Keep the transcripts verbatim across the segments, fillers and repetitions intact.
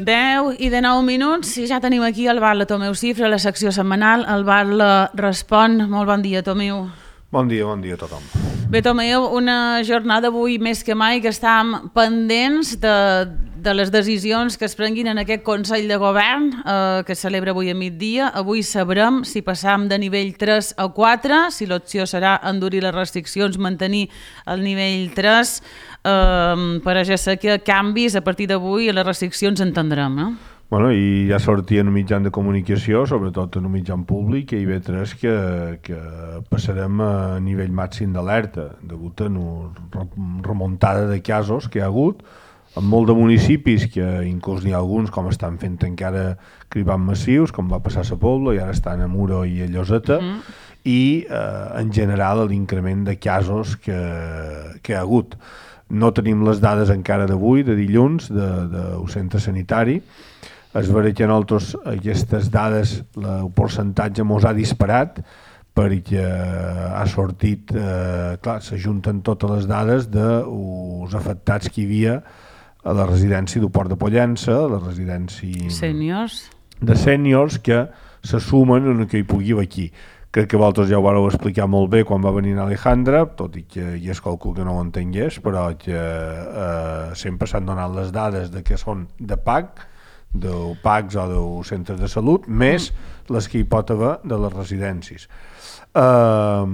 deu i de nou minuts i ja tenim aquí el Bar La Tomeu Cifra, la secció setmanal. El Bar La respon. Molt bon dia, Tomeu. Bon dia, bon dia a tothom. Bé, Tomeu, una jornada avui més que mai que estàvem pendents de, de les decisions que es prenguin en aquest Consell de Govern eh, que es celebra avui a migdia. Avui sabrem si passam de nivell tres a quatre, si l'opció serà endurir les restriccions, mantenir el nivell tres. Uh, per a ja sé que canvis a partir d'avui a les restriccions entendrem, no? Bueno, i ja sortia en un mitjan de comunicació, sobretot en un mitjan públic, que I V tres que, que passarem a nivell màxim d'alerta, degut a una remuntada de casos que hi ha hagut, en molt de municipis, que inclús n'hi ha alguns com estan fent encara cribant massius, com va passar a Sa Pobla, i ara estan a Muro i a Lloseta, mm. i eh, en general l'increment de casos que, que hi ha hagut. No tenim les dades encara d'avui, de dilluns, del centre sanitari. Es veurà que nosaltres aquestes dades, el percentatge mos ha disparat perquè ha sortit, eh, clar, s'ajunten totes les dades dels afectats que hi havia a la residència del Port de Pollença, a la residència Sèniors. de sèniors que se sumen en el que hi pugui haver aquí. Crec que vosaltres ja ho vareu explicar molt bé quan va venir Alejandra, tot i que hi és qualcú que no ho entengués, però que eh, sempre s'han donat les dades de que són de P A C, de P A Cs o de centres de salut, més les que hi pot haver de les residències. Eh,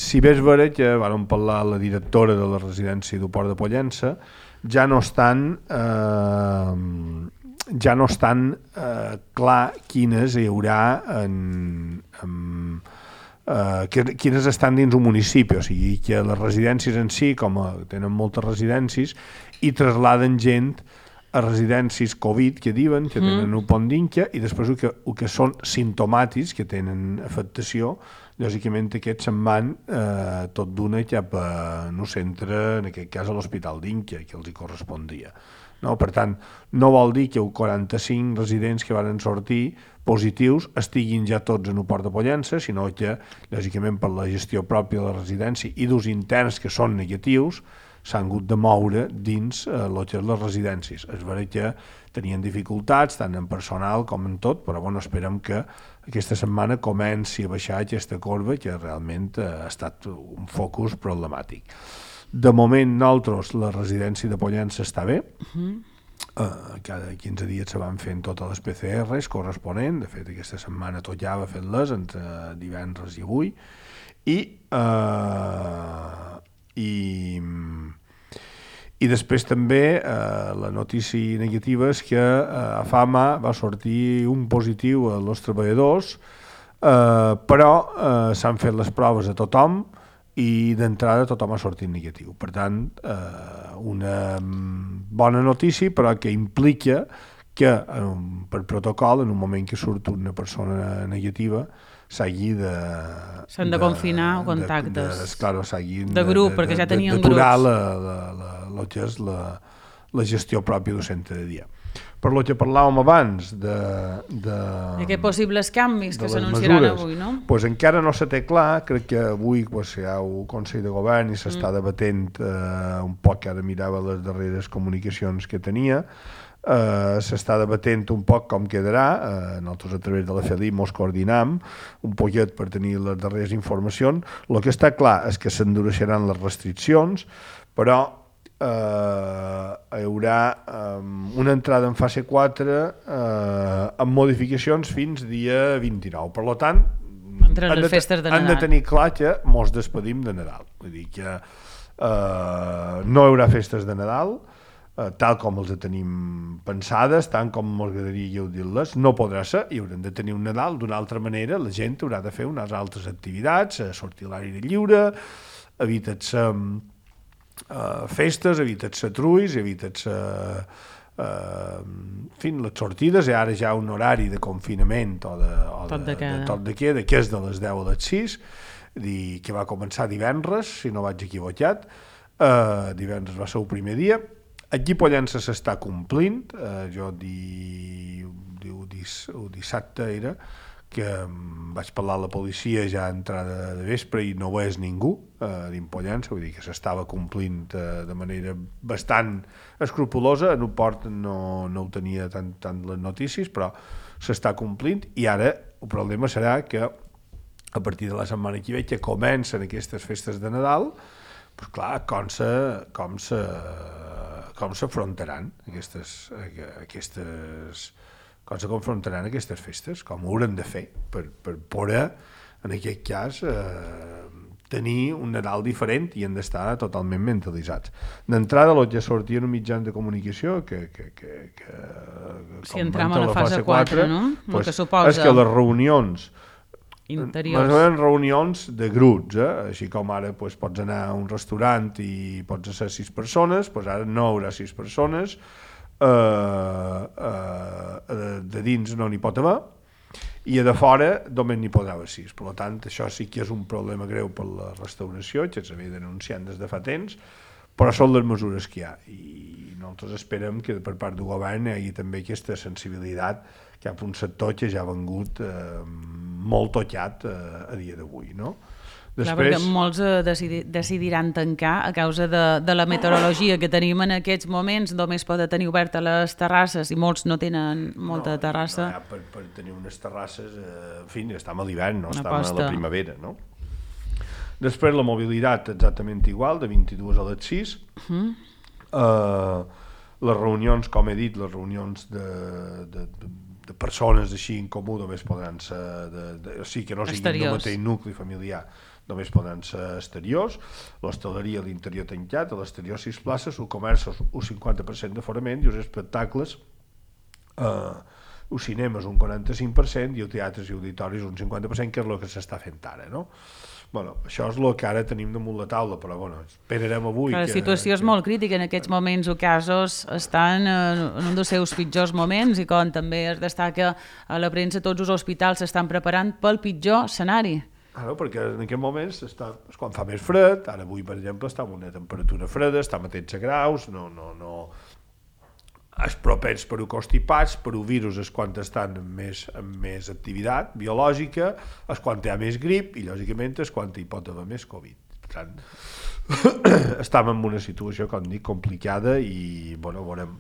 si bé és vera que vam parlar la directora de la residència del Port de Pollença, ja no estan... Eh, ja no estan eh, clar quines hi haurà en, en, eh, que, quines estan dins un municipi, o sigui que les residències en si, com a, tenen moltes residències, i trasladen gent a residències Covid, que diuen, que tenen mm. un pont d'Inca, i després el que, el que són simptomàtics, que tenen afectació, lògicament aquests se'n van eh, tot d'una cap a un centre, en aquest cas a l'Hospital d'Inca, que els hi correspondria. No? Per tant, no vol dir que els quaranta-cinc residents que van sortir positius estiguin ja tots en el Port de Pollença, sinó que, lògicament, per la gestió pròpia de la residència i dels interns que són negatius, s'han hagut de moure dins eh, les residències. Es veurà que tenien dificultats, tant en personal com en tot, però bueno, esperem que aquesta setmana comenci a baixar aquesta corba, que realment eh, ha estat un focus problemàtic. De moment, nosaltres, la residència de Pollença està bé. Uh-huh. Uh, cada quinze dies se van fent totes les P C Rs corresponents. De fet, aquesta setmana tot ja va fent-les entre divendres i avui. I, uh, i, i després també uh, la notícia negativa és que uh, a Fama va sortir un positiu als treballadors, uh, però uh, s'han fet les proves a tothom, i d'entrada tothom ha sortit negatiu. Per tant, eh, una bona notícia, però que implica que eh, per protocol, en un moment que surt una persona negativa, s'hagi de... S'han de, de confinar o contactes. De, de, claro, s'hagi de grup, de, perquè ja tenien grups. D'aturar la, la, la, la, la, la, la gestió pròpia del centre de dia. Per lo que parlàvem abans de... de I aquests possibles canvis que s'anunciaran avui, no? Pues encara no se té clar, crec que avui pues, hi ha un Consell de Govern i s'està mm. debatent eh, un poc, ara mirava les darreres comunicacions que tenia, eh, s'està debatent un poc com quedarà, eh, nosaltres a través de la FELIP mos coordinam un poquet per tenir les darreres informacions. El que està clar és que s'endureixeran les restriccions, però Uh, hi haurà um, una entrada en fase quatre uh, amb modificacions fins dia vint-i-nou. Per tant, han de, festes de han de tenir clar que mos despedim de Nadal. Vull dir que uh, no hi haurà festes de Nadal, uh, tal com els tenim pensades, tant com m'agradaria dir-les, no podrà ser, i haurem de tenir un Nadal d'una altra manera. La gent haurà de fer unes altres activitats, sortir a l'aire lliure, evitar-se Uh, festes, evitar-se truis, evitar-se uh, en fi, les sortides, i ara ja un horari de confinament o de, o de, tot de, de tot de queda, que és de les deu a les sis, i que va començar divendres, si no vaig equivocat. Uh, divendres va ser el primer dia. Aquí Pollença s'està complint, uh, jo di, di, di, dissabte era que vaig parlar a la policia ja a entrada de vespre i no ho és ningú eh, d'Impollença, vull dir que s'estava complint eh, de manera bastant escrupulosa. En un port no, no ho tenia tant, tant les notícies, però s'està complint, i ara el problema serà que a partir de la setmana que ve, que comencen aquestes festes de Nadal, doncs clar, com se, com se, com s'afrontaran aquestes, aquestes, com se confrontaran aquestes festes, com ho hauran de fer per, per poder, en aquest cas, eh, tenir un Nadal diferent, i han d'estar totalment mentalitzats. D'entrada, els ja sortien uns mitjans de comunicació que, que, que, que si entrem a la fase quatre, no? Pues, que suposa... és que les reunions interiors. Les reunions de grups, eh? Així com ara pues, pots anar a un restaurant i pots ser sis persones, pues ara no hi haurà sis persones, eh, eh, de dins no n'hi pot haver, i a de fora només n'hi podrà haver sis. Per tant, això sí que és un problema greu per la restauració, que s'havia denunciat des de fa temps, però són les mesures que hi ha, i nosaltres esperem que per part del govern hi hagi també aquesta sensibilitat cap a un sector que ja ha vengut eh, molt tocat eh, a dia d'avui, no? Després... Clar, perquè molts eh, decidi, decidiran tancar a causa de, de la meteorologia que tenim en aquests moments. Només poden tenir obertes les terrasses i molts no tenen molta no, terrassa. No, ja, per, per tenir unes terrasses, eh, en fi, estem a l'hivern, no estem a la primavera, no? Després la mobilitat exactament igual, de vint-i-dues a les sis. Uh-huh. eh, les reunions, com he dit, les reunions de, de, de, de persones així en comú només podran ser, de, de, o sigui que no siguin del mateix nucli familiar, només podran ser exteriors. L'hostaleria a l'interior tancat, a l'exterior sis places, el comerç un cinquanta per cent d'aforament, i els espectacles, eh, els cinemes un quaranta-cinc per cent i els teatres i auditoris un cinquanta per cent, que és el que s'està fent ara, no? Bueno, això és el que ara tenim damunt la taula, però bueno, esperarem avui... La que, situació és que... molt crítica en aquests moments, o casos estan en un dels seus pitjors moments, i com també es destaca a la premsa, tots els hospitals s'estan preparant pel pitjor escenari. Claro, perquè en aquests moments està, és quan fa més fred, ara avui per exemple està amb una temperatura freda, està a tretze graus, no, no, no... és propens per a constipats, per a virus és quan estan amb més, amb més activitat biològica, és quan hi ha més grip i lògicament és quan hi pot haver més Covid. Per tant, estem en una situació, com dic, complicada, i bueno, veurem,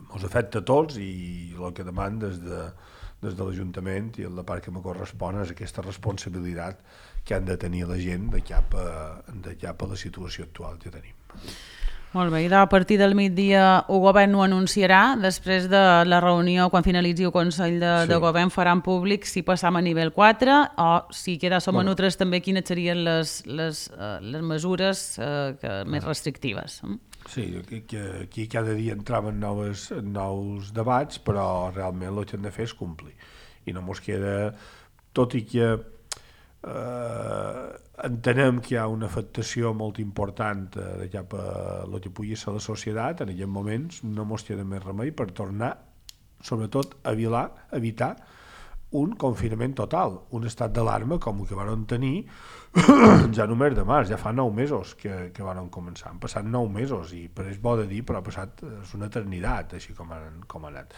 ens afecta a tots, i el que demano des de, des de l'Ajuntament i la part que me correspon és aquesta responsabilitat que han de tenir la gent de cap a, de cap a la situació actual que tenim. Molt bé, i a partir del migdia el govern ho anunciarà, després de la reunió, quan finalitzi el Consell de, sí. de Govern, faran públic si passam a nivell quatre o si queda som bueno. a nosaltres també quines serien les, les, uh, les mesures uh, que, més restrictives. Sí, aquí, aquí cada dia entraven noves, nous debats, però realment el que hem de fer és complir. I no mos queda, tot i que eh, entenem que hi ha una afectació molt important de cap a el que pugui ser la societat, en aquests moments no mos queda més remei per tornar, sobretot, a evitar, evitar un confinament total, un estat d'alarma com el que van tenir ja no mes de març, ja fa nou mesos que, que van començar, han passat nou mesos, i per és bo de dir, però ha passat, és una eternitat, així com han, com ha anat.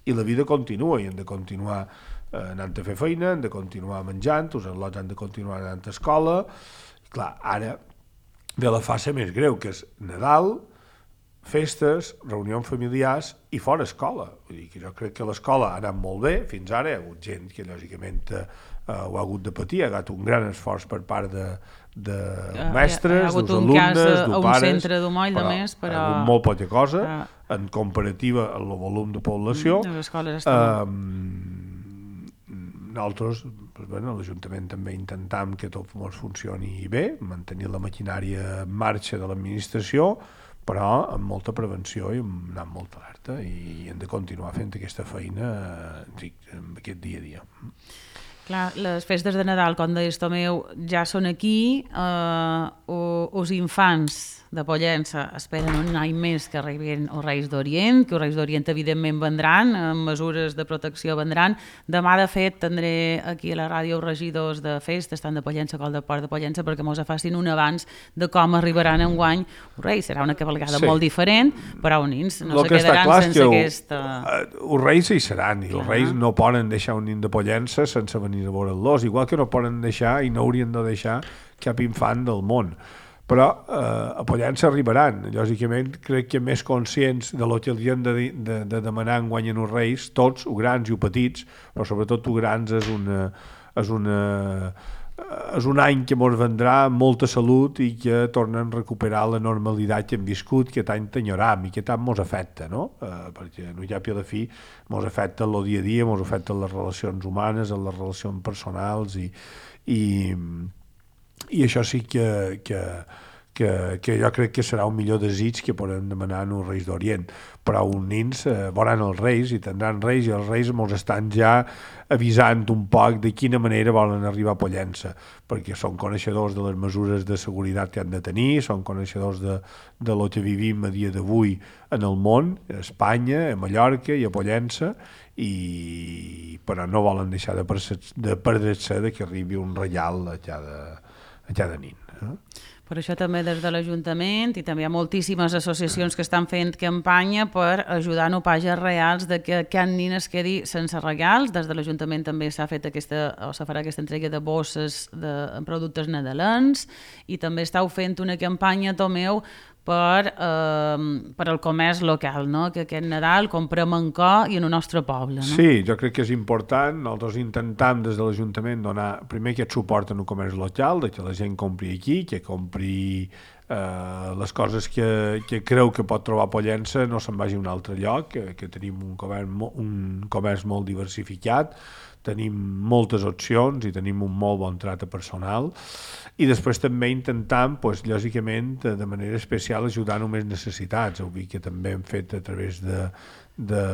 I la vida continua, i hem de continuar eh, anant a fer feina, hem de continuar menjant, els al·lots han de continuar anant a escola, i clar, ara ve la fase més greu, que és Nadal, festes, reunions familiars i fora escola. Vull dir que jo crec que l'escola ha anat molt bé, fins ara hi ha hagut gent que lògicament eh, ho ha hagut de patir, ha hagut un gran esforç per part de, de mestres, dels alumnes, dels pares, un centre d'Umoll, però, més, però... ha hagut molt poca cosa, ah. en comparativa amb el volum de població. Les escoles estan... Eh, nosaltres, doncs, bueno, l'Ajuntament també intentam que tot ens funcioni bé, mantenir la maquinària en marxa de l'administració, però amb molta prevenció i amb molta alerta, i hem de continuar fent aquesta feina en aquest dia a dia. Clar, les festes de Nadal, com deies, Tomeu, ja són aquí. Eh, els infants de Pollença esperen un any més que arribin els Reis d'Orient, que els Reis d'Orient evidentment vendran, amb mesures de protecció vendran. Demà, de fet, tindré aquí a la ràdio els regidors de festes, tant de Pollença com de Port de Pollença, perquè mos facin un abans de com arribaran enguany els Reis. Serà una cavalgada sí. molt diferent, però els nins no se quedaran sense que aquesta... Els Reis hi seran, i els Reis no poden deixar un nin de Pollença sense venir a veure'ls, igual que no poden deixar i no haurien de deixar cap infant del món. Però eh, a Pollença arribaran. Lògicament, crec que més conscients de lo que els hem de, de, de demanar en guanyen els Reis, tots, o grans i o petits, però sobretot o grans és una... És una és un any que ens vendrà amb molta salut i que tornen a recuperar la normalitat que hem viscut, que tant t'enyoram i que tant ens afecta, no? Eh, perquè no hi ha pi a la fi, ens afecta el dia a dia, ens afecta les relacions humanes, les relacions personals i, i, i això sí que, que, que, que jo crec que serà un millor desig que podem demanar als Reis d'Orient. Però uns nins eh, veuran els Reis i tindran Reis, i els Reis ens estan ja avisant un poc de quina manera volen arribar a Pollença, perquè són coneixedors de les mesures de seguretat que han de tenir, són coneixedors de, de lo que vivim a dia d'avui en el món, a Espanya, a Mallorca i a Pollença, i però no volen deixar de, de perdre-se de que arribi un reial a cada, a cada nin. Eh? Per això també des de l'Ajuntament i també hi ha moltíssimes associacions que estan fent campanya per ajudar a pages reals de que cap nin es quedi sense regals. Des de l'Ajuntament també s'ha fet aquesta, o se farà aquesta entrega de bosses de productes nadalencs i també estàu fent una campanya, Tomeu, per, eh, per al comerç local, no? Que aquest Nadal comprem en cor i en el nostre poble. No? Sí, jo crec que és important. Nosaltres intentem des de l'Ajuntament donar primer aquest suport en el comerç local, de que la gent compri aquí, que compri eh, les coses que, que creu que pot trobar a Pollença, no se'n vagi a un altre lloc, que, que tenim un comerç, un comerç molt diversificat, tenim moltes opcions i tenim un molt bon tracte personal, i després també intentam, pues, lògicament, de manera especial ajudar a més necessitats. Ho que també hem fet a través de, de,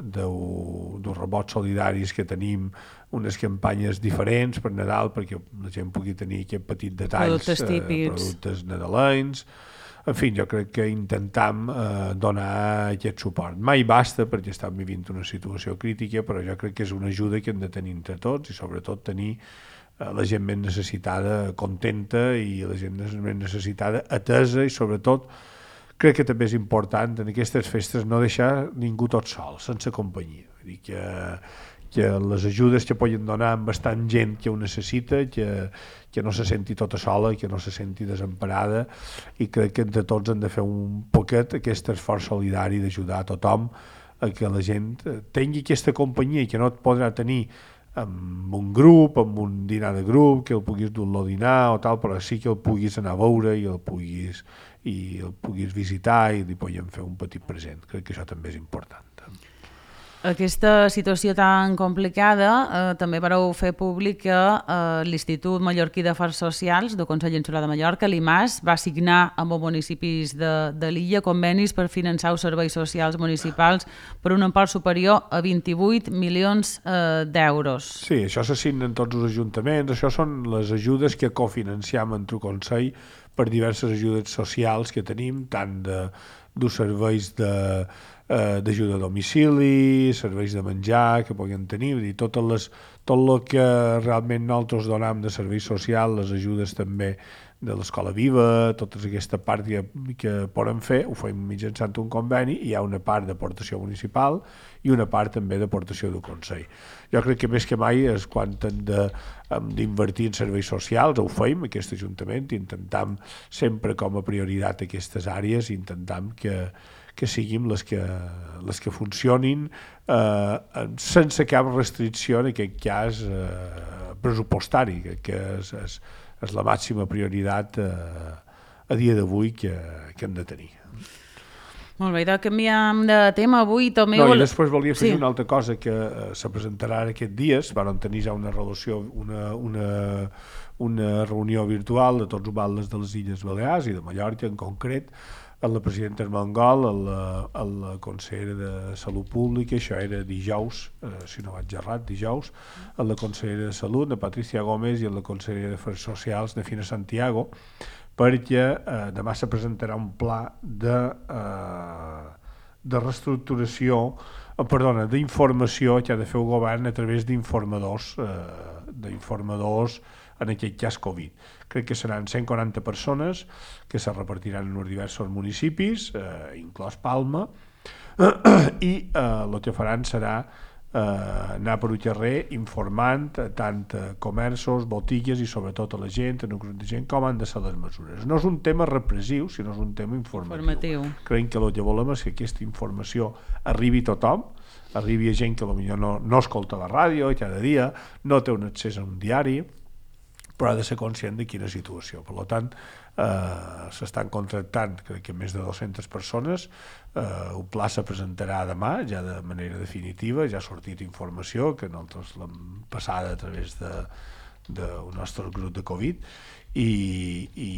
de, dels rebots solidaris que tenim unes campanyes diferents per Nadal perquè la gent pugui tenir aquest petit detalls, productes típics, eh, productes nadalencs. En fi, jo crec que intentam eh, donar aquest suport. Mai basta perquè estem vivint una situació crítica, però jo crec que és una ajuda que hem de tenir entre tots i sobretot tenir eh, la gent més necessitada contenta i la gent més necessitada atesa, i sobretot crec que també és important en aquestes festes no deixar ningú tot sol, sense companyia. Vull dir que que les ajudes que poden donar amb bastant gent que ho necessita, que, que no se senti tota sola, que no se senti desemparada, i crec que entre tots hem de fer un poquet aquest esforç solidari d'ajudar a tothom a que la gent tingui aquesta companyia que no et podrà tenir amb un grup, amb un dinar de grup, que el puguis dur-lo a dinar o tal, però sí que el puguis anar a veure i el puguis, i el puguis visitar i li podem fer un petit present. Crec que això també és important. Aquesta situació tan complicada eh, també vareu fer públic que eh, l'Institut Mallorquí d'Afers Socials del Consell Insular de Mallorca, l'I M A S, va signar amb els municipis de, de l'illa convenis per finançar els serveis socials municipals per un import superior a vint-i-vuit milions eh, d'euros. Sí, això s'assignen tots els ajuntaments, això són les ajudes que cofinanciem entre el Consell per diverses ajudes socials que tenim, tant de, dels serveis de d'ajuda a domicili, serveis de menjar que puguem tenir, vull dir, totes les, tot el que realment nosaltres donem de serveis socials, les ajudes també de l'Escola Viva, tota aquesta part que, que podem fer, ho fem mitjançant un conveni, i hi ha una part d'aportació municipal i una part també d'aportació del Consell. Jo crec que més que mai és quan hem d'invertir en serveis socials, ho fem, aquest Ajuntament, intentam sempre com a prioritat aquestes àrees, intentam que que siguin les que, les que funcionin eh, sense cap restricció, en aquest cas eh, pressupostari, que, que és, és, és la màxima prioritat eh, a dia d'avui que, que hem de tenir. Molt bé, doncs canviem de tema avui. Tomeu... No, i després volia fer sí. una altra cosa que eh, se presentarà aquests dies, van tenir ja una relació, una, una, una reunió virtual de tots els batlles de les Illes Balears i de Mallorca en concret, amb la presidenta Armengol, amb la, amb la consellera de Salut Pública, això era dijous, eh, si no vaig errat, dijous, amb la consellera de Salut, la Patricia Gómez, i amb la consellera d'Afers Socials, de Fina Santiago, perquè eh, demà se presentarà un pla de, eh, de reestructuració, eh, perdona, d'informació que ha de fer el govern a través d'informadors, eh, d'informadors en aquest cas Covid. Crec que seran cent quaranta persones que se repartiran en els diversos municipis, eh, inclòs Palma, i eh, el que faran serà eh, anar per un carrer informant tant a comerços, botigues i sobretot a la gent, en un grup de gent, com han de ser les mesures. No és un tema repressiu, sinó és un tema informatiu. informatiu. Creiem que el que volem és que aquesta informació arribi a tothom, arribi a gent que potser no, no escolta la ràdio cada dia, no té un accés a un diari, però ha de ser conscient de quina situació. Per tant, eh, s'estan contractant, crec que més de dues-centes persones, eh, un pla se presentarà demà, ja de manera definitiva, ja ha sortit informació, que nosaltres l'hem passada a través de, del nostre grup de Covid, i, i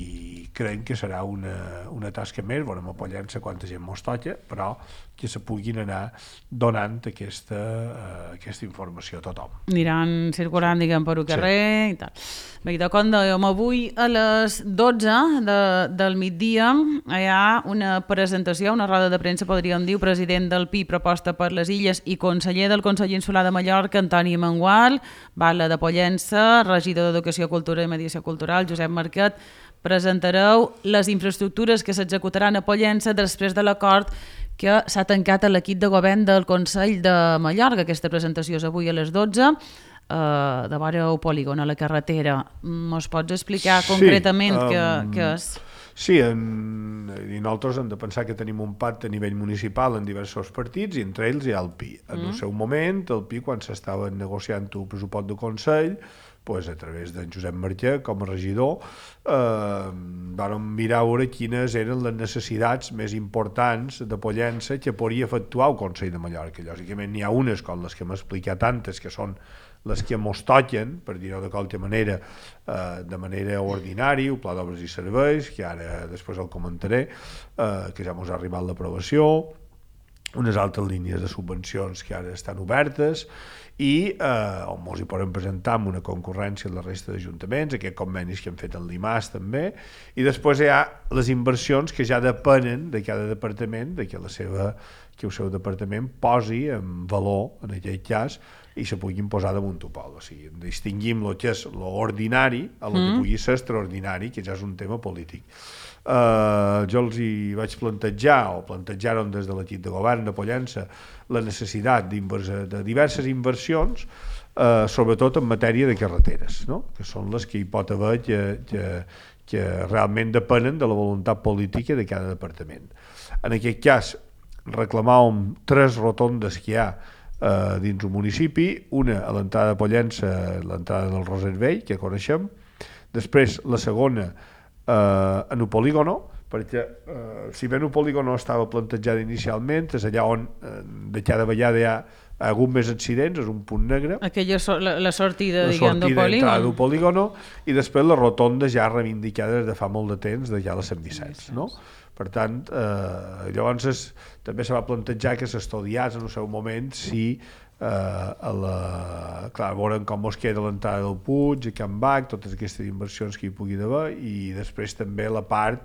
creiem que serà una, una tasca més, veurem apoyant-se quanta gent mos toca, però que se puguin anar donant aquesta, uh, aquesta informació a tothom. Aniran circulant, diguem, per un carrer sí. i tal. Bé, de com dèiem, avui a les dotze de, del migdia hi ha una presentació, una roda de premsa, podríem dir, president del P I proposta per les Illes i conseller del Consell Insular de Mallorca, Antoni Mangual, Batlle de Pollença, regidor d'Educació, Cultura i Mediació Cultural, Josep Marquet. Presentareu les infraestructures que s'executaran a Pollença després de l'acord que s'ha tancat a l'equip de govern del Consell de Mallorca. Aquesta presentació és avui a les dotze, eh, de vora el polígon, a la carretera. Mos pots explicar sí, concretament um, què, què és? Sí, en, i nosaltres hem de pensar que tenim un pacte a nivell municipal en diversos partits, i entre ells hi ha el P I. En mm. el seu moment, el P I, quan s'estava negociant el pressupost del Consell, pues, a través d'en Josep Marquet, com a regidor, eh, vam mirar a veure quines eren les necessitats més importants de Pollença que podria efectuar el Consell de Mallorca. Lògicament n'hi ha unes, com les que m'he explicat antes, que són les que mos toquen, per dir-ho de qualque manera, eh, de manera ordinària, el Pla d'Obres i Serveis, que ara després el comentaré, eh, que ja mos ha arribat l'aprovació, unes altres línies de subvencions que ara estan obertes, i eh, on ens hi podem presentar amb una concurrència a la resta d'ajuntaments, aquests convenis que hem fet en l'I M A S també, i després hi ha les inversions que ja depenen de cada departament, de que, la seva, que el seu departament posi en valor, en aquest cas, i se puguin posar damunt el pol. O sigui, distingim el que és l'ordinari a el mm. que pugui ser extraordinari, que ja és un tema polític. Uh, jo els hi vaig plantejar, o plantejaron des de l'equip de govern de Pollença, la necessitat de diverses inversions, uh, sobretot en matèria de carreteres, no? Que són les que hi pot haver que, que, que realment depenen de la voluntat política de cada departament. En aquest cas, reclamàvem tres rotondes que hi ha uh, dins un municipi, una a l'entrada de Pollença, l'entrada del Roser Vell, que coneixem, després la segona Uh, en el polígono, perquè uh, si bé el polígono estava plantejat inicialment, és allà on uh, de cada vegada hi ha hagut més accidents, és un punt negre. Aquella so la, la sortida, la diguem, sortida del polígon. del polígono, i després la rotonda ja reivindicada des de fa molt de temps, de ja la Sant Vicenç, no? Per tant, eh, llavors es, també se va plantejar que s'estudiés en el seu moment si Uh, a la... clar, veurem com es queda l'entrada del Puig, a Can Bac, totes aquestes inversions que hi pugui haver, i després també la part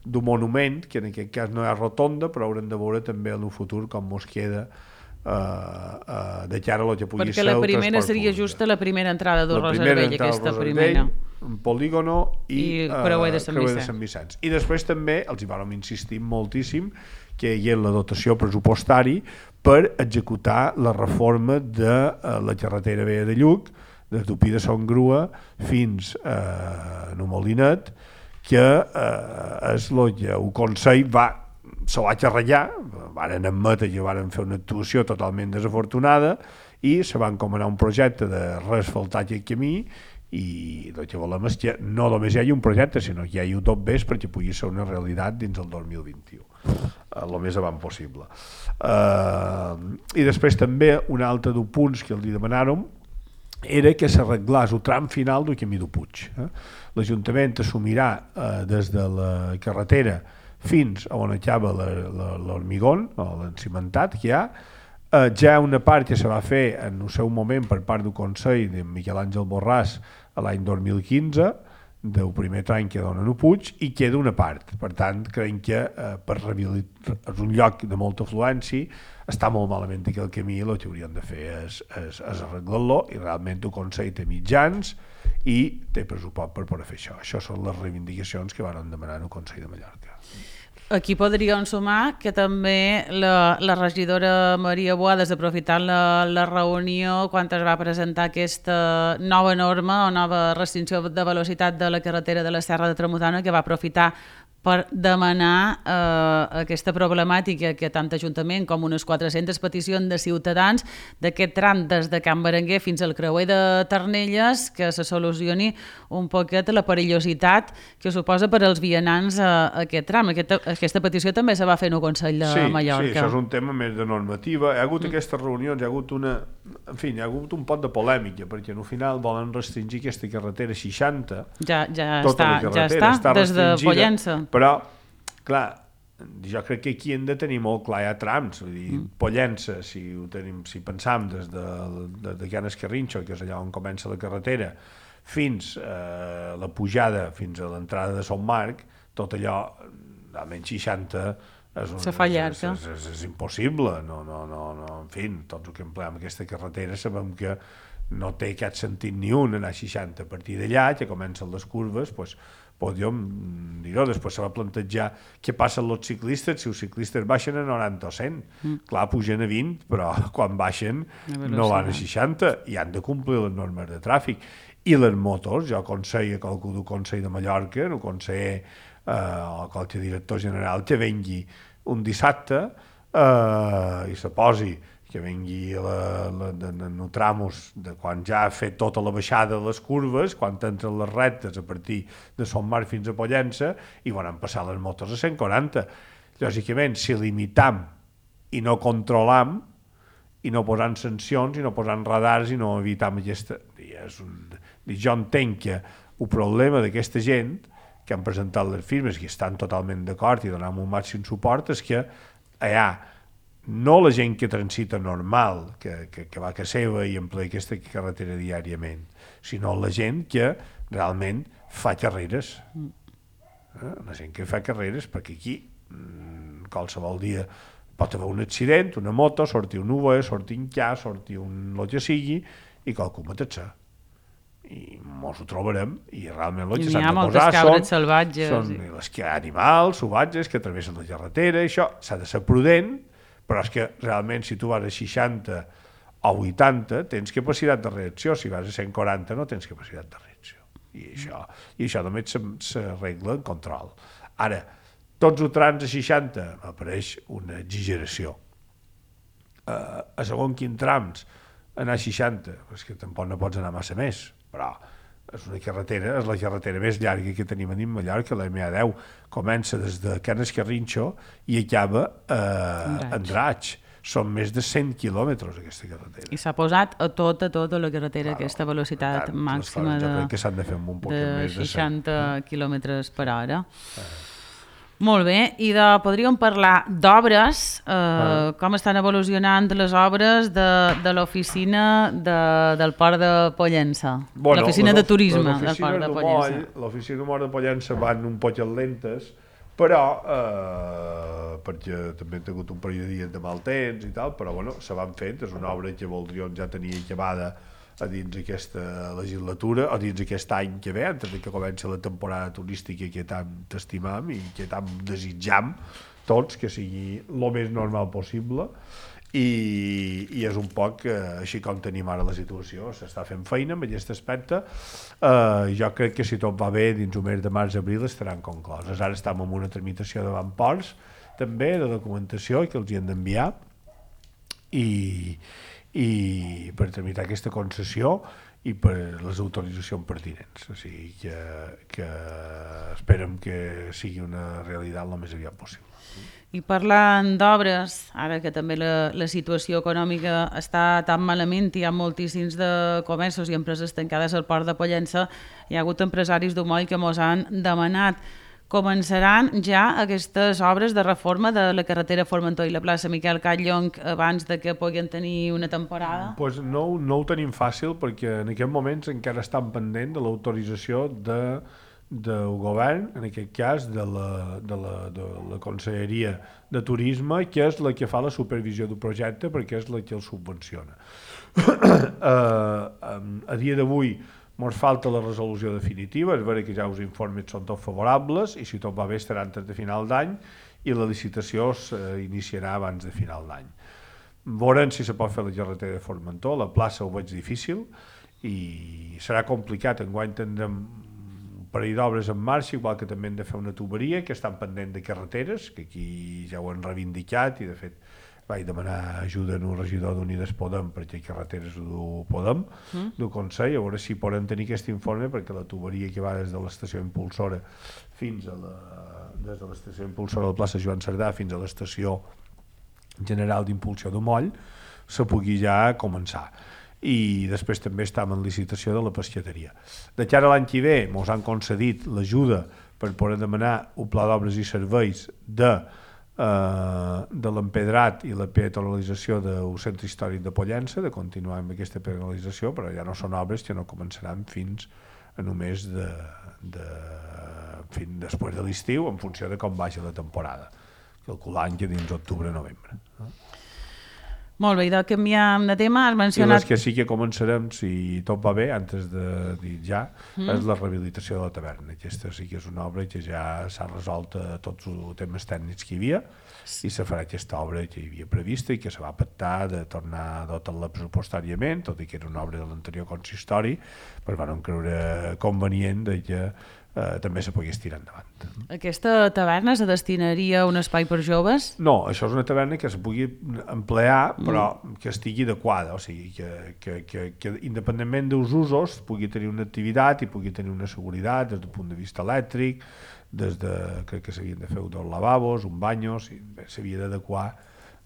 d'un monument, que en aquest cas no hi ha rotonda, però haurem de veure també en el futur com es queda uh, uh, de cara a lo que pugui perquè ser la primera seria justa la primera entrada del Roser Vell, aquesta primera. Un polígono i, i uh, creuer de Sant Vicenç. Vicenç. I després també els hi vam insistir moltíssim que hi ha la dotació pressupostari per executar la reforma de uh, la carretera vella de Lluc, des d'Upí de Son Grua fins a uh, Molinet, que uh, és el que el Consell va, se va xerrallar, varen admetre que varen fer una actuació totalment desafortunada i se va encomanar un projecte de reasfaltar aquest camí, i el que volem és que no només hi hagi un projecte, sinó que hi hagi tot bé perquè pugui ser una realitat dins el dos mil vint-i-u, el més avant possible. Uh, I després també un altre dels punts que els demanàrem era que s'arreglés el tram final del camí del Puig. Eh? L'Ajuntament assumirà eh, des de la carretera fins a on acaba l'hormigón, o l'encimentat que hi ha. Eh, ja una part que se va fer en el seu moment per part del Consell de Miquel Àngel Borràs a l'any dos mil quinze, del primer tram que dona el Puig, i queda una part. Per tant, creiem que eh, per rehabilitar és un lloc de molta afluència, està molt malament que el camí, el que haurien de fer és, és, és arreglar-lo, i realment el Consell té mitjans i té pressupost per poder fer això. Això són les reivindicacions que van demanar el Consell de Mallorca. Aquí podríem sumar que també la, la regidora Maria Boades, aprofitant la, la reunió quan es va presentar aquesta nova norma o nova restricció de velocitat de la carretera de la Serra de Tramuntana, que va aprofitar per demanar eh, aquesta problemàtica que tant Ajuntament com unes quatre-centes peticions de ciutadans d'aquest tram des de Can Berenguer fins al creuer de Ternelles, que se solucioni un poquet la perillositat que suposa per als vianants a, a aquest tram. Aquesta, aquesta petició també se va fer en el Consell de sí, Mallorca. Sí, això és un tema més de normativa. Hi ha hagut mm. aquestes reunions, hi ha hagut una... En fi, hi ha hagut un pot de polèmica, perquè al final volen restringir aquesta carretera seixanta. Ja, ja tota està, ja està, està des de Pollença. Però, clar, jo crec que aquí hem de tenir molt clar, hi ha trams, vull dir, mm. Pollença, si, ho tenim, si pensam des de, de, de Can Escarrinxo, que és allà on comença la carretera, fins a eh, la pujada, fins a l'entrada de Son Marc, tot allò, almenys seixanta, és, un, és, és, és, és impossible, no, no, no, no, en fi, tots els que empleem aquesta carretera sabem que no té cap sentit ni un anar a seixanta. A partir d'allà, que comencen les curves, doncs, podríem dir-ho, després se va plantejar què passa amb els ciclistes, si els ciclistes baixen a noranta o cent, mm. clar, pugen a vint, però quan baixen no van a seixanta i han de complir les normes de tràfic. I les motos, jo aconsello a qualcú del Consell de Mallorca, el conseller eh, o qualsevol director general, que vengui un dissabte eh, i se posi, que vengui la, la, en el tramos de quan ja ha fet tota la baixada de les curves, quan entren les rectes a partir de Son Marc fins a Pollença, i van passar les motos a cent quaranta. Lògicament, si limitam i no controlam, i no posant sancions, i no posant radars, i no evitam aquesta... És un... Jo entenc que el problema d'aquesta gent que han presentat les firmes, que estan totalment d'acord i donem un màxim suport, és que hi ha no la gent que transita normal, que, que, que va a casa seva i emplea aquesta carretera diàriament, sinó la gent que realment fa carreres. Eh? La gent que fa carreres, perquè aquí qualsevol dia pot haver un accident, una moto, sortir un U V, sortir un K, sortir un el que sigui, i qualcú matar-se. I mos ho trobarem, i realment el que s'han de posar són, salvatges, són i... les que animals salvatges que travessen la carretera, i això s'ha de ser prudent, però és que realment si tu vas a seixanta o vuitanta tens capacitat de reacció, si vas a cent quaranta no tens capacitat de reacció, i això, i això només s'arregla en control. Ara, tots els trams a seixanta apareix una exageració. Uh, a segon quin trams anar a seixanta, és que tampoc no pots anar massa més, però és una carretera, és la carretera més llarga que tenim a Mallorca, la M A deu, comença des de Can Escarrinxo i acaba a Andratx. Són més de cent quilòmetres aquesta carretera. I s'ha posat a tota, tota la carretera claro, aquesta velocitat tant, màxima de, que s'han de fer un poc de més de seixanta quilòmetres per hora. Ah. Molt bé, i de, podríem parlar d'obres, eh, ah. com estan evolucionant les obres de, de l'oficina de, del Port de Pollença, bueno, l'oficina de turisme del Port de Pollença. L'oficina del Port de Pollença van un poc lentes, però, eh, perquè també han tingut un parell de dies de mal temps i tal, però bueno, se van fent, és una obra que voldríem ja tenir acabada a dins aquesta legislatura, o dins aquest any que ve, antes que comenci la temporada turística que tant estimam i que tant desitjam tots, que sigui el més normal possible, i, i és un poc eh, així com tenim ara la situació, s'està fent feina en aquest aspecte. Eh, jo crec que si tot va bé, dins el mes de març-abril estaran concloses. Ara estem en una tramitació davant Ports, també, de documentació, que els hi han d'enviar, i... i per tramitar aquesta concessió, i per les autoritzacions pertinents. O sigui que, que esperem que sigui una realitat el més aviat possible. I parlant d'obres, ara que també la, la situació econòmica està tan malament, hi ha moltíssims de comerços i empreses tancades al port de Pollença, hi ha hagut empresaris d'Homoll que mos han demanat. Començaran ja aquestes obres de reforma de la carretera Formentor i la plaça Miquel Catllonc abans de que puguin tenir una temporada? Pues no, no ho tenim fàcil perquè en aquests moments encara estan pendent de l'autorització de del govern, en aquest cas de la, de, la, de la Conselleria de Turisme, que és la que fa la supervisió del projecte perquè és la que el subvenciona. uh, a dia d'avui ens falta la resolució definitiva, és vera que ja els informes són tots favorables i si tot va bé estarà antes de final d'any i la licitació s'iniciarà abans de final d'any. Veurem si se pot fer la carretera de Formentor, la plaça ho veig difícil i serà complicat, enguany tindrem parell d'obres en marxa, igual que també hem de fer una tuberia, que estan pendent de carreteres, que aquí ja ho han reivindicat i de fet vaig demanar ajuda al regidor d'Unides Podem perquè carreteres ho Podem, mm. del Consell, a veure si poden tenir aquest informe perquè la tuberia que va des de l'estació impulsora fins a la, des de l'estació impulsora de la plaça Joan Cerdà fins a l'estació general d'impulsió de Moll se pugui ja començar. I després també estem en licitació de la pescateria. De cara a l'any que ve ens han concedit l'ajuda per poder demanar un pla d'obres i serveis de, eh, de l'empedrat i la peatonalització del centre històric de Pollença, de continuar amb aquesta peatonalització, però ja no són obres que no començaran fins a només de, de, fins després de l'estiu, en funció de com vagi la temporada, calculant que dins octubre-novembre. Molt bé, i de canviar de tema, has mencionat... I les que sí que començarem, si tot va bé, antes de dir ja, mm. és la rehabilitació de la taverna. Aquesta sí que és una obra que ja s'ha resolt tots els temes tècnics que hi havia i se farà aquesta obra que hi havia prevista i que se va pactar de tornar a dotar-la pressupostàriament, tot i que era una obra de l'anterior consistori, però van creure convenient de que eh, també se pogués tirar endavant. Aquesta taverna se destinaria a un espai per joves? No, això és una taverna que se pugui emplear, però mm. que estigui adequada, o sigui, que, que, que, que independentment dels usos pugui tenir una activitat i pugui tenir una seguretat des del punt de vista elèctric, des de, crec que s'havien de fer dos lavabos, un banyo, s'havia d'adequar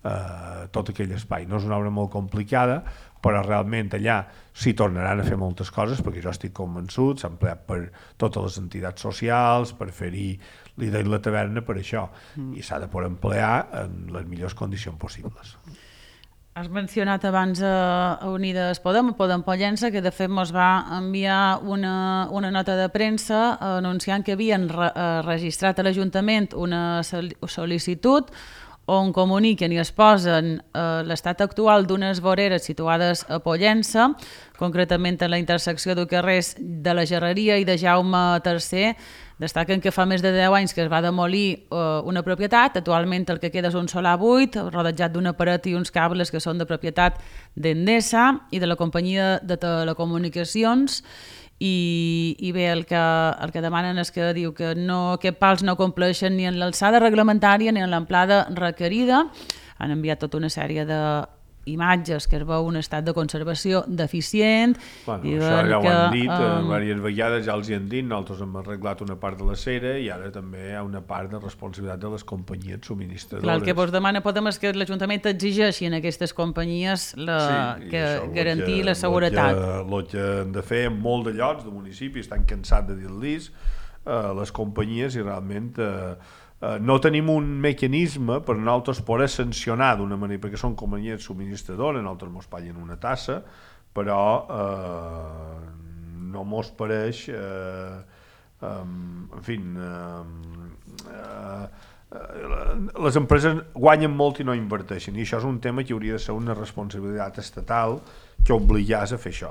eh, tot aquell espai. No és una obra molt complicada, però realment allà s'hi tornaran a fer moltes coses, perquè jo estic convençut, s'ha empleat per totes les entitats socials, per fer-hi l'idea de la taverna per això, mm. i s'ha de poder emplear en les millors condicions possibles. Has mencionat abans a Unides Podem, a Podem Pollença, que de fet ens va enviar una, una nota de premsa anunciant que havien re, registrat a l'Ajuntament una sol·licitud on comuniquen i es posen eh, l'estat actual d'unes voreres situades a Pollença, concretament a la intersecció de carrers de la Gerreria i de Jaume tercer. Destaquen que fa més de deu anys que es va demolir eh, una propietat, actualment el que queda és un solar buit, rodejat d'una paret i uns cables que són de propietat d'Endesa i de la companyia de telecomunicacions. I, i bé, el que, el que demanen és que diu que no, aquests pals no compleixen ni en l'alçada reglamentària ni en l'amplada requerida. Han enviat tota una sèrie d'imatges que es veu un estat de conservació deficient. Bueno, això ja ho que, han dit, um... diverses vegades ja els hi han dit, nosaltres hem arreglat una part de la cera i ara també hi ha una part de responsabilitat de les companyies subministradores. Clar, el que vos demana Podem és que l'Ajuntament exigeixi en aquestes companyies la, sí, que garantir que, la seguretat. El que han de fer en molt de llocs de municipis, estan cansats de dir-los eh, les companyies i realment eh, eh, no tenim un mecanisme per nosaltres poder sancionar d'una manera, perquè són companyies subministradores, nosaltres mos paguen una tassa, però eh, no mos pareix eh, eh, en fi eh, eh, les empreses guanyen molt i no inverteixen, i això és un tema que hauria de ser una responsabilitat estatal que obligàs a fer això.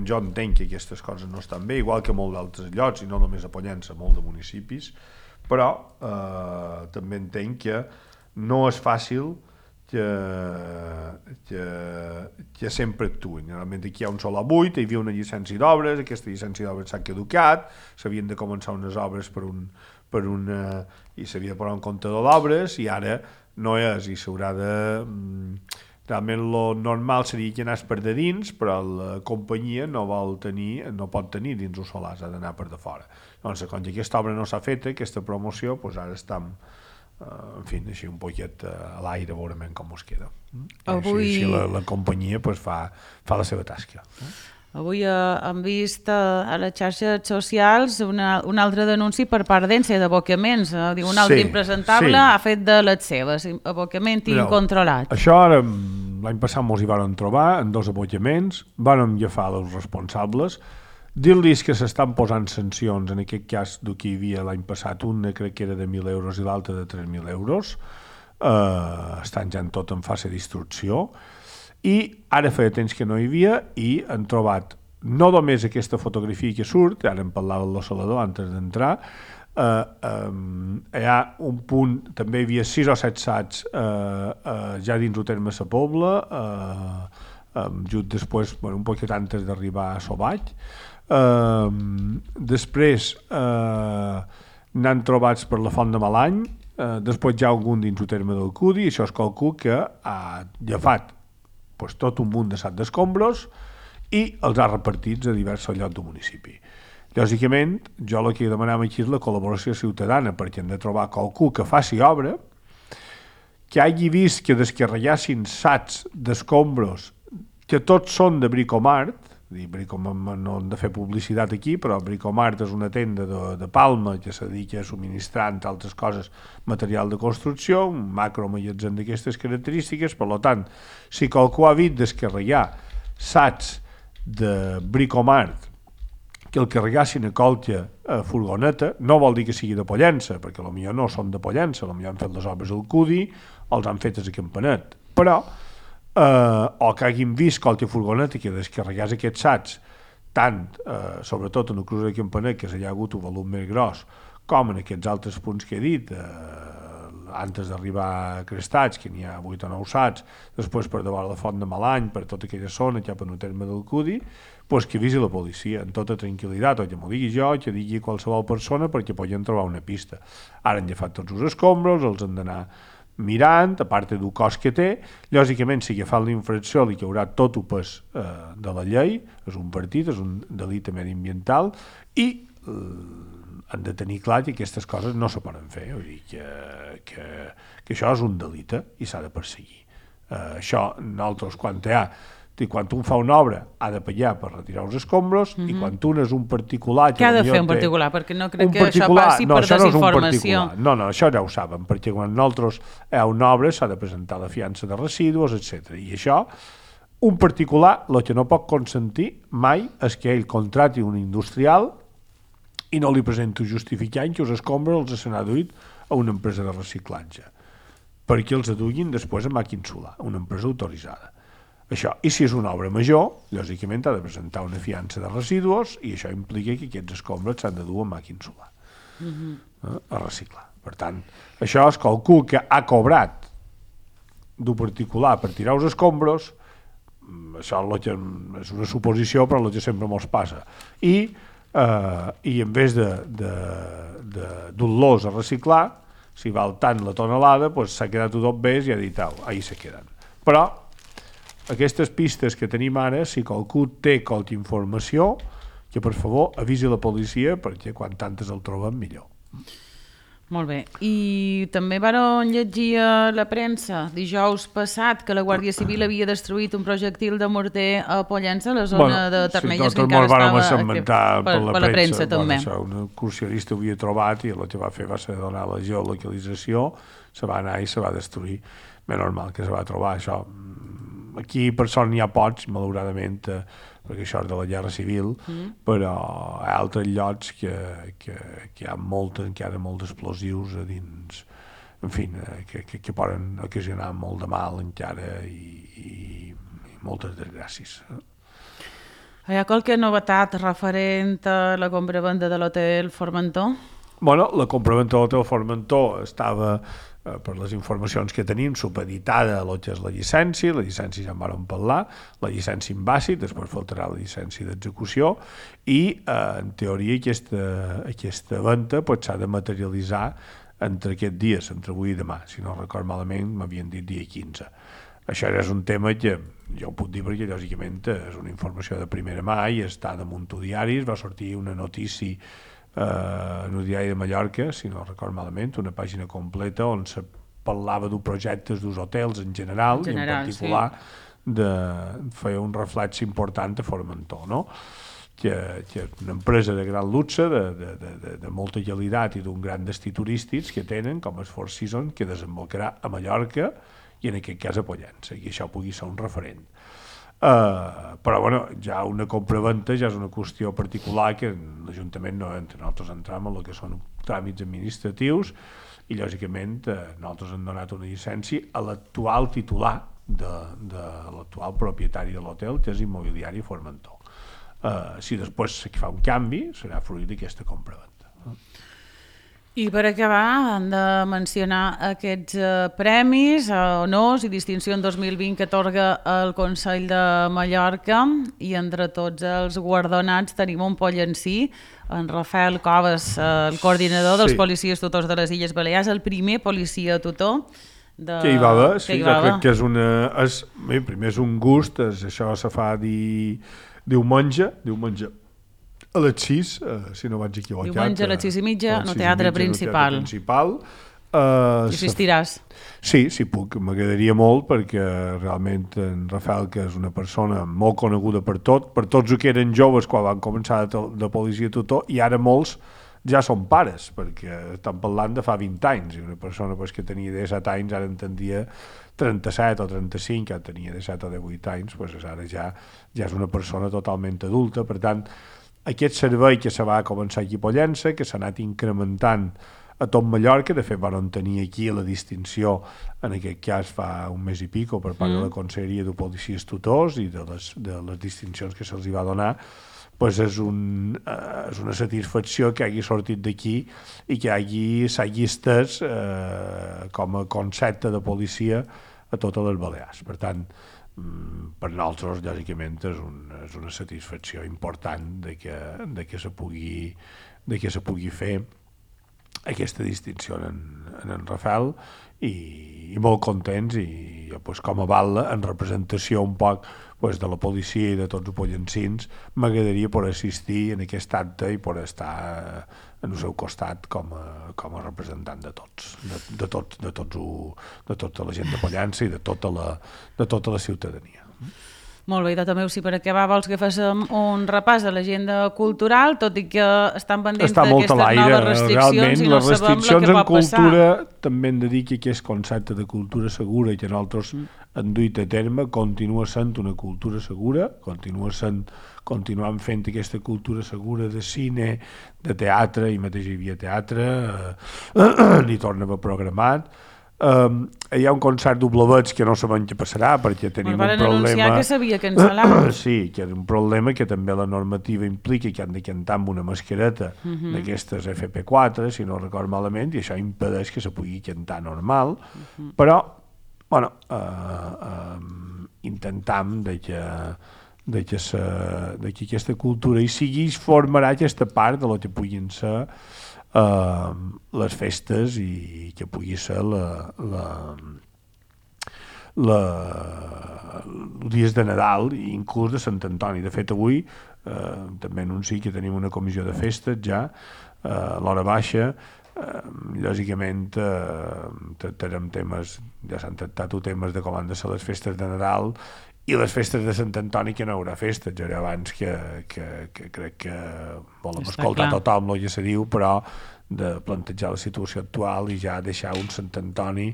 Jo entenc que aquestes coses no estan bé, igual que molt d'altres llocs, i no només a Pollença, molt de municipis, però eh, també entenc que no és fàcil que, que, que sempre actuïn. Realment aquí hi ha un solar buit, hi havia una llicència d'obres, aquesta llicència d'obres s'ha caducat, s'havien de començar unes obres per un, per una, i s'havia de posar un comptador d'obres i ara no és, i s'haurà de, Realment el normal seria que anés per de dins, però la companyia no vol tenir, no pot tenir dins els solars, ha d'anar per de fora. Doncs, com que aquesta obra no s'ha feta, aquesta promoció, doncs ara estem, uh, en fi, així un poquet uh, a l'aire, veurem com us queda. Avui... Així, així la, la companyia pues, fa, fa la seva tasca. Avui eh, hem vist eh, a les xarxes socials una, un altre denunci per part d'Ence d'abocaments. Eh? Diu, un altre sí, impresentable sí. ha fet de les seves, abocament no, incontrolat. Això ara, l'any passat mos hi varen trobar en dos abocaments, vàrem agafar els responsables, dir-los que s'estan posant sancions, en aquest cas del que hi havia l'any passat, una crec que era de mil euros i l'altra de tres mil euros, eh, estan ja en tot en fase d'instrucció, i ara feia temps que no hi havia i han trobat no només aquesta fotografia que surt, ara em parlava de l'oscil·lador antes d'entrar, eh, eh, hi ha un punt, també hi havia sis o set sats eh, eh, ja dins el terme Sa Pobla, eh, eh, just després, bueno, un poquet antes d'arribar a Sobaig. Eh, després eh, n'han trobats per la Font de Malany, eh, després hi ha algun dins el terme del Cudi, i això es calcula que ha agafat pues, tot un munt de sac d'escombros i els ha repartits a diversos llocs del municipi. Lògicament, jo el que demanava aquí és la col·laboració ciutadana, perquè hem de trobar qualcú que faci obra, que hagi vist que descarregassin sacs d'escombros que tots són de Bricomart, Bricomart no hem de fer publicitat aquí, però Bricomart és una tenda de, de Palma que se dedica a subministrar, entre altres coses, material de construcció, un macromagatzem d'aquestes característiques. Per tant, si qualcú ha vist descarregar sacs de Bricomart que el carregassin a colta a furgoneta, no vol dir que sigui de Pollença, perquè potser no són de Pollença, potser han fet les obres al Cudi, els han fetes a Campanet, però Uh, o que hagin vist qualque furgoneta que descarregés aquests sacs, tant, uh, sobretot en el cruce de Campanet, que s'hi ha hagut un volum més gros, com en aquests altres punts que he dit, uh, antes d'arribar a Crestats, que n'hi ha vuit o nou sacs, després per davant la Font de Malany, per tota aquella zona, cap en el terme del Cudi, pues que avisi la policia, en tota tranquil·litat, o que m'ho digui jo, que digui qualsevol persona, perquè podien trobar una pista. Ara han agafat tots els escombros, els han d'anar mirant, a part del cost que té. Lògicament, si agafant l'infracció li haurà tot el pes eh, de la llei, és un partit, és un delicte mediambiental, i eh, han de tenir clar que aquestes coses no se poden fer, vull dir que, que, que això és un delicte i s'ha de perseguir. Eh, això, nosaltres, quan hi ha quan un fa una obra ha de pagar per retirar els escombros, mm-hmm. i quan un és un particular... Què ha de fer un particular? Perquè no crec que això passi no, per això desinformació. No, no, no, això ja ho saben, perquè quan nosaltres hi ha una obra s'ha de presentar la fiança de residus, etcètera. I això, un particular, el que no pot consentir mai és que ell contrati un industrial i no li presenti justificant que els escombros els s'han aduït a una empresa de reciclatge, perquè els aduïn després a màquina solar, una empresa autoritzada. Això. I si és una obra major, lògicament ha de presentar una fiança de residus i això implica que aquests escombres s'han de dur a màquina solar, mm-hmm. eh, a reciclar. Per tant, això es calcula que ha cobrat d'un particular per tirar els escombros, això és una suposició, però el que sempre mos passa. I, eh, i en vez de, de, de dur-los a reciclar, si val tant la tonelada, doncs s'ha quedat tot bé i ha dit, au, ahí se queden. Però aquestes pistes que tenim ara, si qualcú té qualque informació, que per favor avisi la policia, perquè quan tantes el trobem millor. Molt bé. I també varen llegir a la premsa dijous passat que la Guàrdia Civil havia destruït un projectil de morter a Pollença, a la zona bueno, de Ternelles, sí, que encara estava per, per, per la premsa, bueno, també. Això, un excursionista ho havia trobat i el que va fer va ser donar la geolocalització, se va anar i se va destruir. Ben normal que se va trobar això. Aquí per sort n'hi ha pocs, malauradament, eh, perquè això és de la guerra civil, mm. però hi ha altres llocs que, que, que hi ha moltes, encara molts explosius a dins, en fi, eh, que, que, que poden ocasionar molt de mal encara i, i, i moltes desgràcies. Hi ha qualque novetat referent a la compra-venda de l'hotel Formentor? Bueno, la compra-venda de l'hotel Formentor estava, per les informacions que tenim, supeditada a el que és la llicència, la llicència ja en vàrem parlar, la llicència en bàsic, després faltarà la llicència d'execució i, eh, en teoria, aquesta, aquesta venda s'ha de materialitzar entre aquests dies, entre avui i demà, si no record malament m'havien dit dia quinze. això ja és un tema que jo ho puc dir perquè lògicament és una informació de primera mà i està damunt tu diaris, va sortir una notícia eh, en el diari de Mallorca, si no record malament, una pàgina completa on se parlava de projectes dels hotels en general, en general i en particular sí. de, feia un reflex important a Formentor, no? Que, que és una empresa de gran luxe, de, de, de, de molta qualitat i d'un gran destí turístics que tenen, com el Four Seasons, que desembocarà a Mallorca i en aquest cas a Pollença, i això pugui ser un referent. Uh, però bueno, ja una compraventa ja és una qüestió particular que l'Ajuntament no entra, nosaltres entrem en el que són tràmits administratius i lògicament uh, nosaltres hem donat una llicència a l'actual titular de, de l'actual propietari de l'hotel, que és Immobiliari Formentor. Uh, si després se fa un canvi serà fruit d'aquesta compraventa. I per acabar hem de mencionar aquests uh, premis, uh, honors i distincions dos mil vint que atorga el Consell de Mallorca, i entre tots els guardonats tenim un pollencí, en Rafael Coves, uh, el coordinador dels sí. policies tutors de les Illes Balears, el primer policia tutor de... que hi va haver, sí, jo crec que és una... És, bé, primer és un gust, és, això se fa dir... diumenge, diumenge a les sis, eh, si no vaig equivocat. Diumenge a les sis i mitja, no teatre principal. No principal. Uh, I assistiràs? Sí, sí puc, m'agradaria molt perquè realment en Rafael, que és una persona molt coneguda per tot, per tots els que eren joves quan van començar de, de policia tutor, i ara molts ja són pares, perquè estan parlant de fa vint anys, i una persona pues, que tenia disset anys ara entendria trenta-set o trenta-cinc, que tenia disset o divuit anys, pues, ara ja, ja és una persona totalment adulta. Per tant, aquest servei que se va començar aquí a Pollença, que s'ha anat incrementant a tot Mallorca, de fet van tenir aquí la distinció, en aquest cas fa un mes i pico, per part mm. de la Conselleria de Policies Tutors i de les, de les distincions que se'ls va donar, pues és, un, eh, és una satisfacció que hagi sortit d'aquí i que hagi, s'hagi estès eh, com a concepte de policia a totes les Balears. Per tant, per nosaltres, lògicament, és, un, és una satisfacció important de que, de que, se, pugui, de que se pugui fer aquesta distinció en, en en Rafael i, i molt contents i pues, com a val en representació un poc pues, de la policia i de tots els pollencins, m'agradaria poder assistir en aquest acte i poder estar en el seu costat com a, com a representant de tots, de, de, tots, de, tots ho, de tota la gent de Pollença i de tota la, de tota la ciutadania. Molt bé, i també, si per acabar vols que fem un repàs de l'agenda cultural, tot i que estan pendents d'aquestes noves restriccions i no sabem el que pot passar. Cultura, també hem de dir que aquest concepte de cultura segura que nosaltres mm. hem duit a terme continua sent una cultura segura, continua sent, continuem fent aquesta cultura segura de cine, de teatre, i mateix hi havia teatre, eh, n'hi torna a haver programat. Um, hi ha un concert doblevets que no sabem què passarà perquè tenim un problema... Van anunciar que s'havia cancel·lat. Sí, que és un problema que també la normativa implica que han de cantar amb una mascareta uh-huh. d'aquestes F P quatre, si no record malament, i això impedeix que se pugui cantar normal, uh-huh. però, bueno, uh, uh, intentam de que, de, que se, de que aquesta cultura hi sigui, formarà aquesta part de lo que puguin ser Uh, les festes i que pugui ser la, la, la, els dies de Nadal i inclús de Sant Antoni. De fet, avui uh, també anuncio que tenim una comissió de festes ja uh, a l'hora baixa. Uh, lògicament uh, tractarem temes, ja s'han tractat temes de com han de ser les festes de Nadal i les festes de Sant Antoni, que no hi haurà festes, ja era abans que, que, que crec que volem Està escoltar clar. Tothom el que se diu, però de plantejar la situació actual i ja deixar un Sant Antoni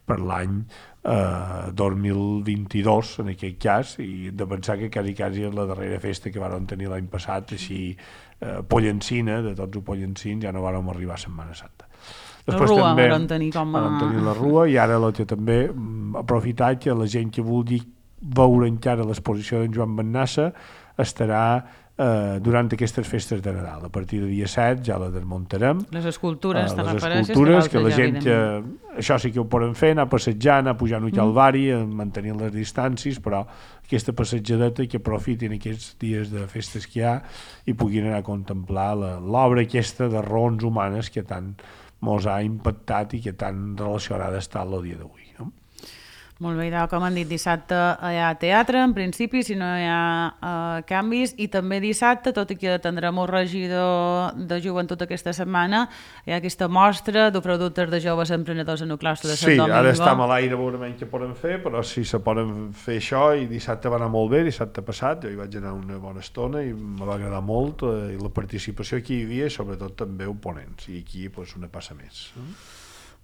per l'any eh, dos mil vint-i-dos, en aquest cas, i de pensar que quasi, quasi és la darrera festa que vàrem tenir l'any passat, així eh, pollencina, de tots els pollencins, ja no vàrem arribar a Setmana Santa. Després la Rua també vàrem tenir com a... Vàrem tenir la Rua, i ara la que també aprofitar que la gent que vulgui veure encara l'exposició d'en Joan Bennassa estarà eh, durant aquestes festes de Nadal. A partir del dia set ja la desmuntarem. Les escultures, eh, les escultures, que, que la gent que... Això sí que ho poden fer, anar passejant, anar pujant un calvari, mm. mantenint les distàncies, però aquesta passejadeta que aprofitin aquests dies de festes que hi ha i puguin anar a contemplar l'obra aquesta de raons humanes que tant mos ha impactat i que tan relacionada està el dia d'avui. No? Molt bé, com han dit, dissabte hi ha teatre, en principi, si no hi ha uh, canvis, i també dissabte, tot i que tindrem un regidor de joventut aquesta setmana, hi ha aquesta mostra de productes de joves emprenedors en el claustre de Sant sí, Domingo. Sí, ara estem a l'aire, veurem què podem fer, però sí, se poden fer això, i dissabte va anar molt bé, dissabte passat, jo hi vaig anar una bona estona i em va agradar molt, eh, i la participació que hi havia, i sobretot també oponents, i aquí pues, una passa més.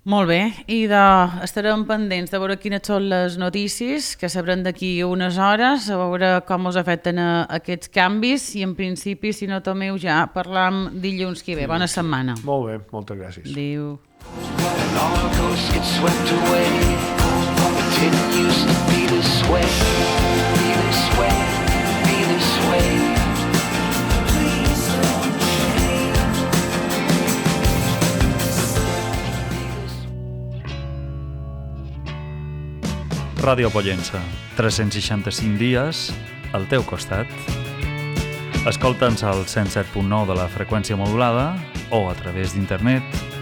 Molt bé, i de, estarem pendents de veure quines són les notícies que sabrem d'aquí unes hores, a veure com us afecten a, aquests canvis, i en principi, si no tomeu, ja parlam dilluns que ve. Bona setmana. Molt bé, moltes gràcies. Adéu. Ràdio Pollença, tres-cents seixanta-cinc dies al teu costat. Escolta'ns al cent set punt nou de la freqüència modulada o a través d'internet